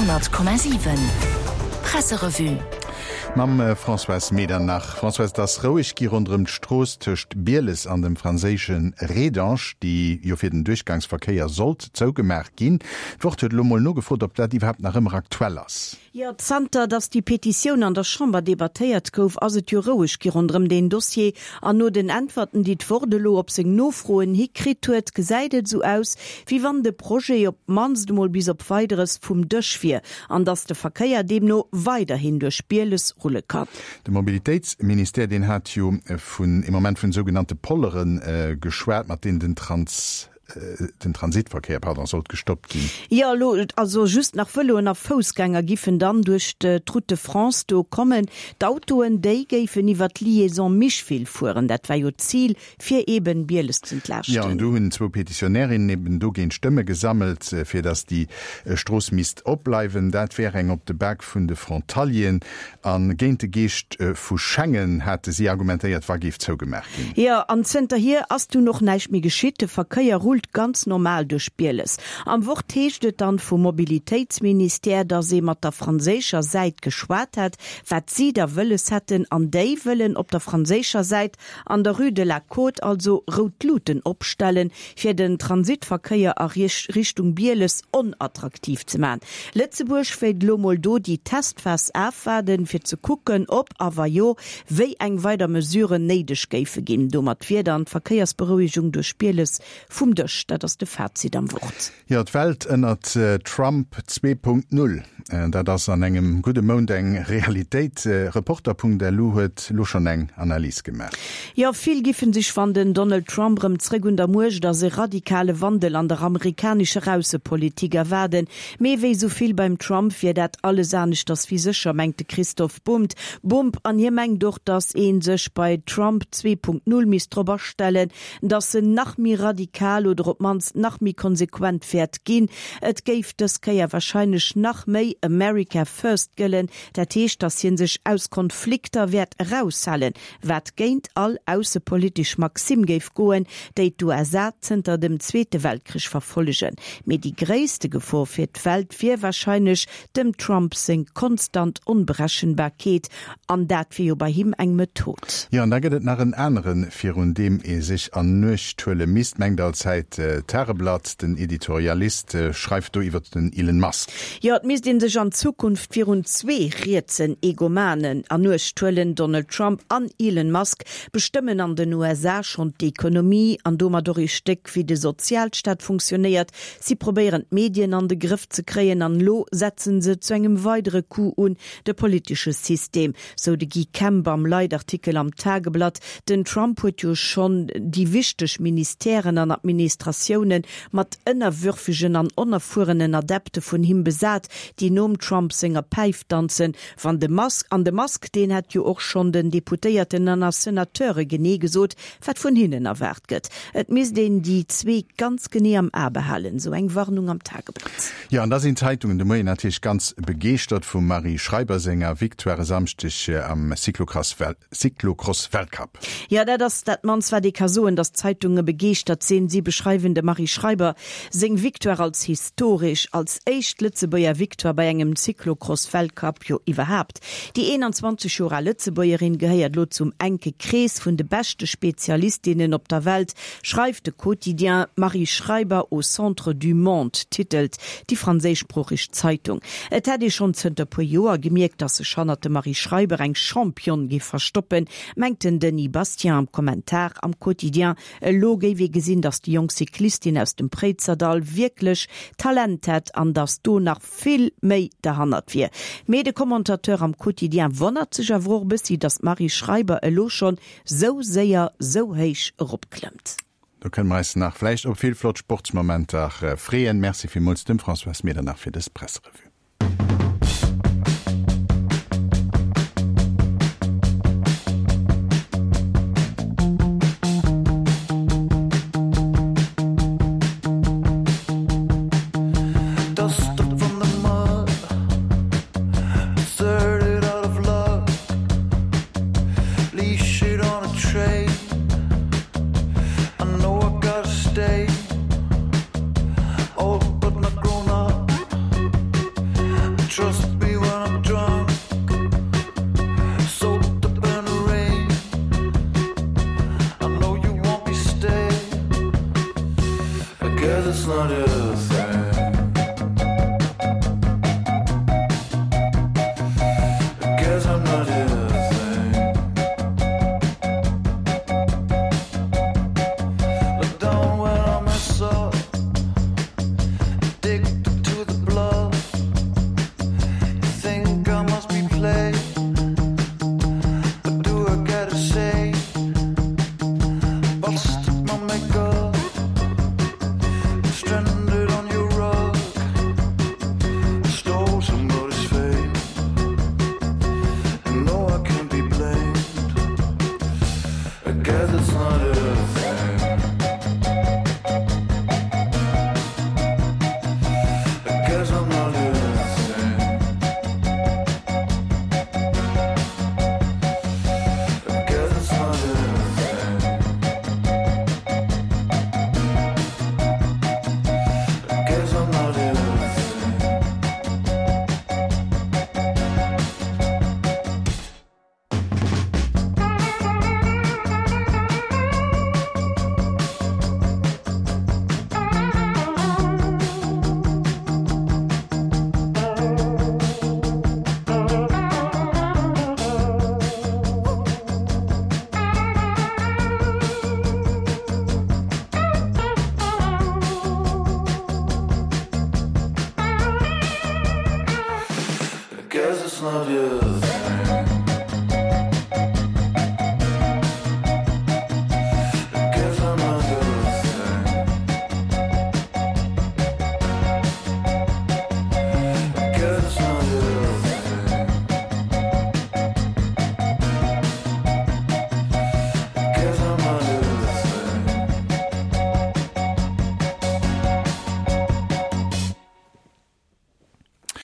100,7 Presserevue. Mam Françoise Medernach. Françoise, et ass roueg gi ronderëm d'Strooss tëscht Bieles an dem franséische Rédange, déi jo fir den Duerchgangsverkéier sollt zougemaach ginn. D'Wort huet elo mol nogefrot, ob dat iwwerhaapt nach ëmmer aktuell ass. Jo, zanter datt déi Petitioun an der Chamber debattéiert gouf, ass et jo roueg gi ronderëm deen Dossier. An no den Äntwerten, déi d'Wort elo op seng Nofroen hi kritt huet, gesäit et esou aus, wéi wann de Projet op d'mannst emol bis op Weideres vum Dësch wier an datt de Verkéier deemno weiderhin duerch Bieles rulle kann. De Mobilitéitsministère, deen hat jo vun ee Moment vun sougenannte Pollere geschwat, mat deenen den Trans. Den Transitverkéier, pardon, sollt gestoppt ginn. Jo, elo also just nach Vëloen a Foussgänger giffen dann duerch d'Route de France do kommen. D'Autoen, déi géifen iwwer d'Liaison Micheville fueren. Dat war jo d'Zil, fir eben Bieles z'entlaaschten. Jo, an do hunn zwou Petitionärinnen eben dogéint Stëmme gesammelt, fir datt déi Strooss misst opbleiwen. Dat wär eng op de Bak vun de Frontalieren. A géint de Geescht vu Schengen, hate si argumentéiert, wa géif zougemaach ginn. Jo, an zënterhier ass dunn och näischt méi geschitt. De Verkéier rullt ganz normal duerch Bieles. Am Wort heescht et dann vum Mobilitéitsministère, datt ee mat der franséischer Säit geschwat hätt, wat si da wëlles hätten. An déi wëllen op der franséischer Säit an der Rue de la Côte also rout Luuten opstellen, fir den Transitverkéier a Richtung Bieles onattraktiv ze man. Lëtzebuerg wéilt elo mol do déi Testphas afwaarden, fir ze kucken, ob a wa jo, wéi eng weider Mesuren néideg géife ginn. Domat wier dann d'Verkéiersberouegung duerch Bieles vum Dësch. Dat ass de Fazit am Wort. Jo, d'Welt ënnert Trump 2.0, dat ass an engem gudde Mount eng Realitéit. Reporter.lu huet lo schonn eng Analys gemaach. Jo, vill giffen sech, wann den Donald Trump rëm zréck un der Muecht ass, e radikale Wandel an der amerikanescher Aussepolitik erwaarden. Mee wéi sou vill beim Trump wier dat alles aneschters wéi sécher, mengt de Christoph Bumb. Bumb. An hie mengt och, datt ee sech bei Trump 2.0 misst drop astellen, datt en nach méi radikal oder op d'mannst nach méi konsequent wäert ginn. Et géif dës Kéier warscheinlech nach méi America first gëllen, dat heescht, datt hie sech aus Konflikter wäert eraushalen, wat géint all aussepolitesch Maxime géif goen, déi d'USA zënter dem Zweete Weltkrich verfollegen. Mee déi gréisste Gefor fir d'Welt wier warscheinlech dem Trump seng konstant Onberechenbarkeet, an dat wier jo bei him eng Method. Jo, an da gëtt et nach en aneren, virun deem ee sech an Nuecht huele misst, mengt allzäit d'Tageblatt. Den Editorialist schreift do iwwert den Elon Musk. Jo, et misst ee sech an Zukunft virun zwee rietsen Egomanen an Uecht huelen, Donald Trump an Elon Musk bestëmmen an den USA schonn d'Ekonomie an domat och ee Stéck wéi de Sozialstaat funktionéiert. Si probéieren d'Medien an de Grëff ze kréien an elo setzen se zu engem weidere Coup un de politesche System, sou de Guy Kemp am Leitartikel am Tageblatt. Den Trump huet jo schonn déi wichteg Ministèren an Administratiounen mat ënnerwürfegen an onerfuerenen Adepte vun him besat, déi nom Trump senger Päif danzen. Wann de Musk, an de Musk, deen hätt jo och schonn den Deputéierten an a Senateure genee gesot, wat vun hinnen erwaart gëtt. Et misst een déi zwee ganz genee am A behalen, sou eng Warnung am Tageblatt. Jo, an da sinn d'Zeitungen de Moien natierlech ganz begeeschtert vum Marie Schreiber senger Victoire e Samschdeg am Cyclocross-Weltcup. Jo, dat ass dat mannst wat ee ka soen, datt d'Zeitunge begeeschtert sinn. Si beschreiwen dem Marie Schreiber seng Victoire als historesch, als éischt Lëtzebuerger Victoire bei engem Cyclocross-Weltcup jo iwwerhaapt. Déi 21 Joer al Lëtzebuergerin gehéiert elo zum enke Krees vun de beschte Spezialistinnen op der Welt, schreift de Quotidien. Marie Schreiber au centre du monde, titelt déi franséischsproocheg Zeitung. Et hätt ee schonn zënter puer Joer gemierkt, datt sech hannert dem Marie Schreiber eng Championne géif verstoppen, mengt den Denis Bastien am Kommentar am Quotidien. Elo géif ee gesinn, datt déi jonk Cyclistin aus dem Préizerdall wierklech Talent hätt an datt do nach vill méi derhannert wier. Mee de Commentateur am Quotidien wonnert sech awer och e bëssi, datt d'Marie Schreiber elo schonn sou séier sou héich eropklëmmt. Do kënne mer eis nach vläicht op vill flott Sportsmomenter freeën. Merci villmools dem Françoise Medernach fir dës Presserevue. Trust me when I'm drunk Soaked up in the rain I know you won't be staying I guess it's not your thing I guess I'm not your thing Look down when I mess up Addicted to the bluff You think I must be played But do I gotta say Busted my makeup Stranded on your rug Stole somebody's fame And no I can't be blamed I guess it's not a thing I guess I'm not a thing I guess it's not a thing I guess I'm not a thing. I guess it's not your thing.